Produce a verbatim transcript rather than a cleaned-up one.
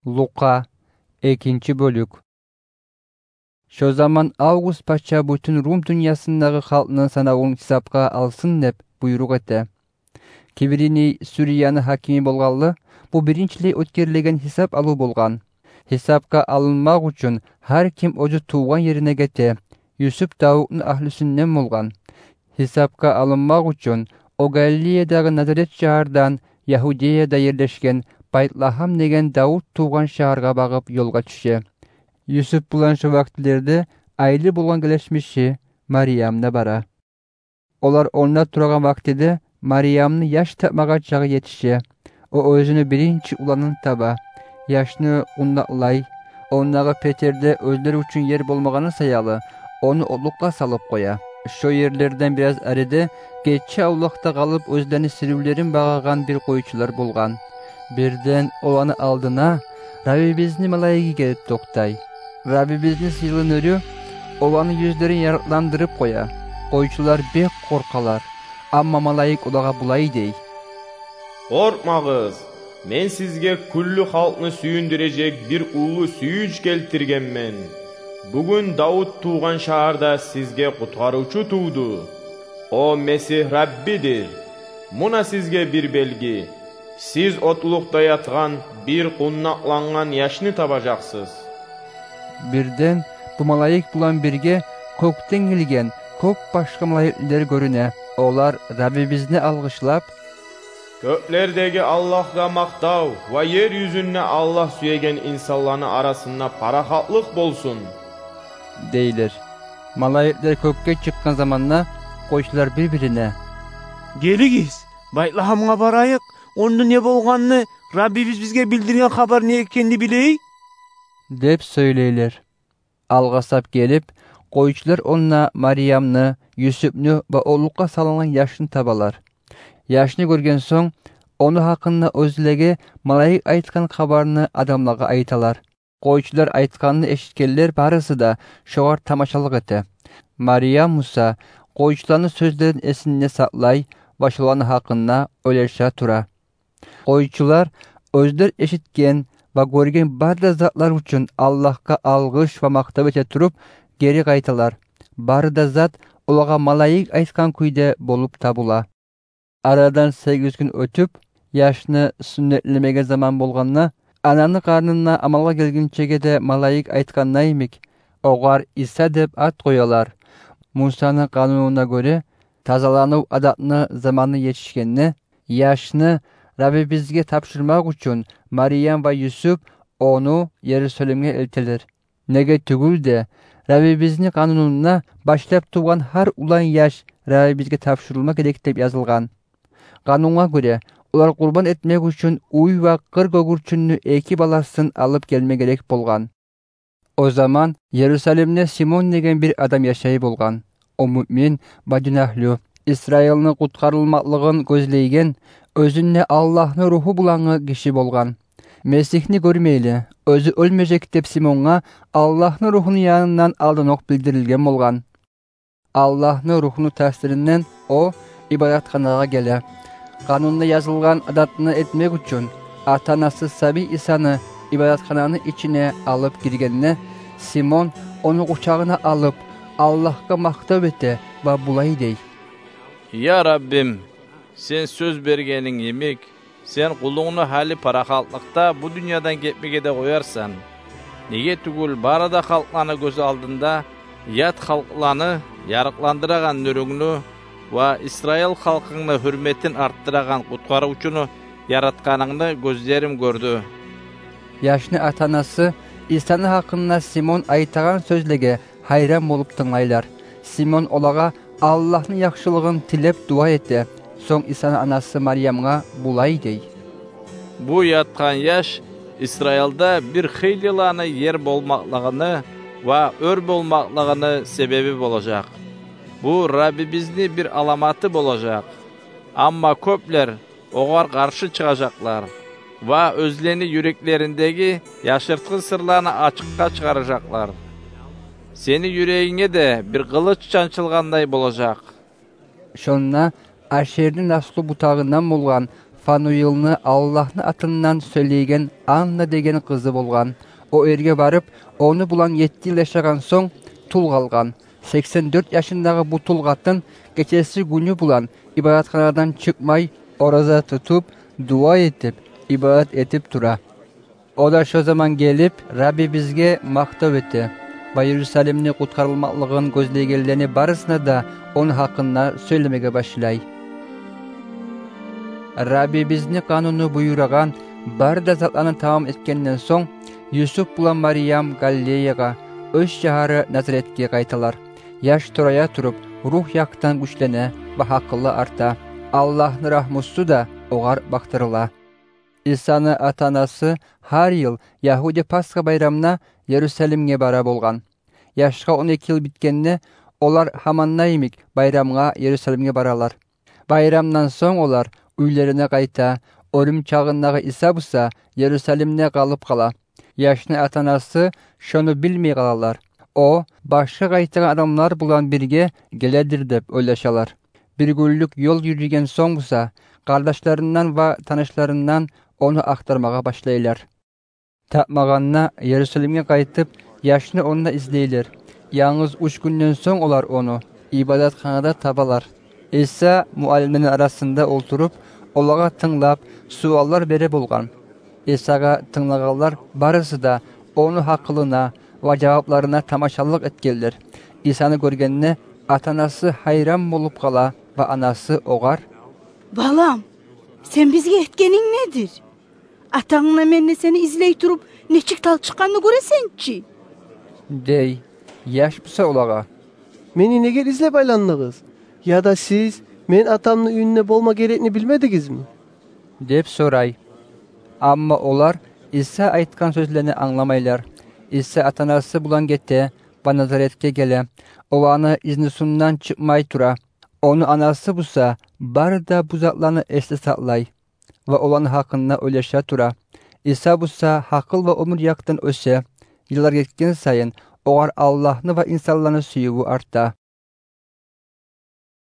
Лукъа, экинчи бёлюк. Шо заман Август пача бютюн Рум дюньясындагъы халкъны санавун гьисапгъа алсын деп буйрукъ эте. Квириний Сирияны гьакими болгъанлы, бу биринчилей оьтгерилеген гьисап алыв болгъан. Гьисапгъа алынмакъ учун гьар ким оьзю тувгъан ерине гете. Юсуп Давутну агьлюсюнден болгъан. Гьисапгъа алынмакъ учун о Галилеядагъы Назарет шагьардан Ягьудеяда ерлешген Байтлагьам деген Давут тувгъан шагьаргъа багъып ёлгъа тюше. Юсуп булан шо вакътилерде айлы болгъан гелешмиши Мариям да бара. Олар онда турагъан вакътиде Мариямны яш тапмагъа чагъы етише. О оьзюню биринчи уланын таба. Яшны къундакълай. Ондагъы петерде оьзлер учун ер болмагъаны саялы, ону отлукъгъа салып къоя. Шо ерлерден бираз ариде гече авлакъда къалып оьзлени сиривлерин багъагъан бир къойчулар болгъан. Бирден оланы алдына Раббибизни малайиги гелип токътай. Раббибизни сыйлы нюрю оланы юзлерин ярыкъландырып къоя. Къойчулар бек къоркъалар. Амма малайик олагъа булай дей: «Къоркъмагъыз, мен сизге кюллю халкъны сююндюрежек бир уллу сююнч гелтиргенмен. Бугюн Давут тувгъан шагьарда сизге къутгъарывчу тувду. О Месигь Раббидир. Муна сизге бир белги: сиз отлукъда ятгъан бир къундакълангъан яшны табажакъсыз». Бирден бу малайик булан бирге кёкден гелген кёп башгъа малайиклер гёрюне. Олар Раббибизни алгъышлап: «Кёклердеги Аллагьгъа макътав ва ер юзюнде Аллагь сюеген инсанланы арасында парахатлыкъ болсун», — дейлер. Малайиклер кёкге чыкъгъан заманда къойчулар бир-бирине: «Гелигиз, Байтлагьамгъа барайыкъ, онда не болгъанны, Раббибиз бизге билдирген хабар не экенни билейик», — деп сёйлейлер. Алгъасап гелип, къойчулар онда Мариямны, Юсупну ва отлукъгъа салынгъан яшны табалар. Яшны гёрген сонг, ону гьакъында оьзлеге малайик айтгъан хабарны адамлагъа айталар. Къойчулар айтгъанны эшитгенлер барысы да шогъар тамашалыкъ эте. Мариям буса къойчуланы сёзлерин эсинде сакълай ва шоланы гьакъында ойлаша тура. Къойчулар оьзлер эшитген ва гёрген бары да затлар учун Аллагьгъа алгъыш ва макътав эте туруп, гери къайталар. Бары да зат олагъа малайик айтгъан кюйде болуп табула. Арадан сегиз гюн оьтюп, яшны сюннетлемеге заман болгъанда, ананы къарнында амалгъа гелгинчеге де малайик айтгъанда йимик, огъар Иса деп ат къоялар. Мусаны къанунуна гёре, тазаланув адатны заманы етишгенде, яшны Раббибизге тапшурмакъ учун Мариям ва Юсуп ону Ерусалимге элтелер. Неге тюгюл де, Раббибизни къанунунда башлап тувгъан гьар улан яш Раббибизге тапшурулма герек деп язылгъан. Къанунгъа гёре, олар къурбан этмек учун уй ва къыр гёгюрчюнню эки баласын алып гелме герек болгъан. О заман Ерусалимде Симон деген бир адам яшай болгъан. О муъмин ва дин агьлю, Исраилни къутгъарылмакълыгъын гёзлейген, оьзюнде Аллагьны Руху булангъы гиши болгъан. Месигьни гёрмейли, оьзю оьлмежек деп Симонгъа Аллагьны Рухуну янындан алданокъ билдирилген болгъан. Аллагьны Рухуну таъсиринден о ибадатханагъа геле. Къанунда язылгъан адатны этмек учун ата-анасы сабий Исаны ибадатхананы ичине алып гиргенде, Симон ону къучагъына алып, Аллагьгъа макътав эте ва булай дей: «Я Раббим, сен сёз бергенинг йимик, сен къулунгну гьали парахатлыкъда бу дюньядан гетмеге де къоярсан. Неге тюгюл, бары да халкъланы гёз алдында ят халкъланы ярыкъландырагъан нюрюнгню ва Исраил халкъынгны гьюрметин артдырагъан къутгъарывчуну яратгъанынгны гёзлерим гёрдю». Яшны ата-анасы Исаны гьакъында Симон айтагъан сёзлеге гьайран болуп тынглайлар. Симон олагъа Аллагьны яхшылыгъын тилеп дуа эте. Сонг Исаны анасы Мариямгъа булай дей: «Бу ятгъан яш Исраилда бир хыйлыланы ер болмакълыгъыны ва оьр болмакълыгъыны себеби болажакъ. Бу Раббибизни бир аламаты болажакъ. Амма кёплер огъар къаршы чыгъажакълар ва оьзлени юреклериндеги яшыртгъы сырланы ачыкъгъа чыгъаражакълар. Сени юрегинге де бир къылыч чанчылгъандай болажакъ». Шонда Ашерни наслу бутагъындан болгъан Фануилни Аллагьны атындан сёйлейген Анна деген къызы болгъан. О ерге барып, ону булан етти йыл яшагъан сонг, тул къалгъан. Сексен дёрт яшындагъы бу тул къатын гечеси-гюню булан ибадатханадан чыкъмай, ораза тутуп, дуа этип, ибадат этип тура. О да шо заман гелип, Раббибизге макътав эте ва Иерусалимни къутгъарылмакълыгъын гёзлейгенлени барысына да ону гьакъында сёйлемеге башлай. Раббибизни къануну буюрагъан бары да затланы тамам этгенден сонг, Юсуп булан Марьям Галилеягъа, оьз шагьары Назаретге къайталар. Яш турая туруп, ругь якъдан гючлене ва гьакъылы арта. Аллагьны рагьмусу да огъар бакъдырыла. Исаны ата-анасы гьар йыл ягьуди Пасха байрамына Иерусалимге бара болгъан. Яшгъа он эки йыл битгенде, олар гьаманда йимик байрамгъа Иерусалимге баралар. Байрамдан сонг олар уьйлерине къайта. Оьлюм чагъындагъы Иса буса Иерусалимде къалып къала. Яшны ата-анасы шону билмей къалалар. О башгъа къайтагъан адамлар булан бирге геледир деп ойлашалар. Бир гюнлюк ёл юрюген сонг буса, къардашларындан ва танышларындан ону ахтармагъа башлайлар. Тапмагъанда, Иерусалимге къайтып, яшны онда излейлер. Янгыз уьч гюнден сонг олар ону ибадатханада табалар. Иса муаллимлени арасында олтуруп, олагъа тынглап, суаллар бере болгъан. Исагъа тынглагъанлар барысы да ону гьакъылына ва жавапларына тамашалыкъ этгенлер. Исаны гёргенде, ата-анасы гьайран болуп къала ва анасы огъар: «Балам, сен бизге этгенинг недир? Атангны, менни сени излей туруп, нечик талчыкъгъанны гёресен чи», — дей. Яш буса олагъа: «Мени неге излеп айландыгъыз? Яда сиз мен атамны уьюнде болма герекни билмедигизми?» — деп сорай. Амма олар Иса айтгъан сёзлени англамайлар. Иса ата-анасы булан гете ва Назаретге геле. Оланы изнусундан чыкъмай тура. Ону анасы буса бары да бу затланы эсде сакълай ва оланы гьакъында ойлаша тура. Иса буса гьакъыл ва оьмюр якъдан оьсе. Йыллар гетген сайын, огъар Аллагьны ва инсанланы сюювю арта.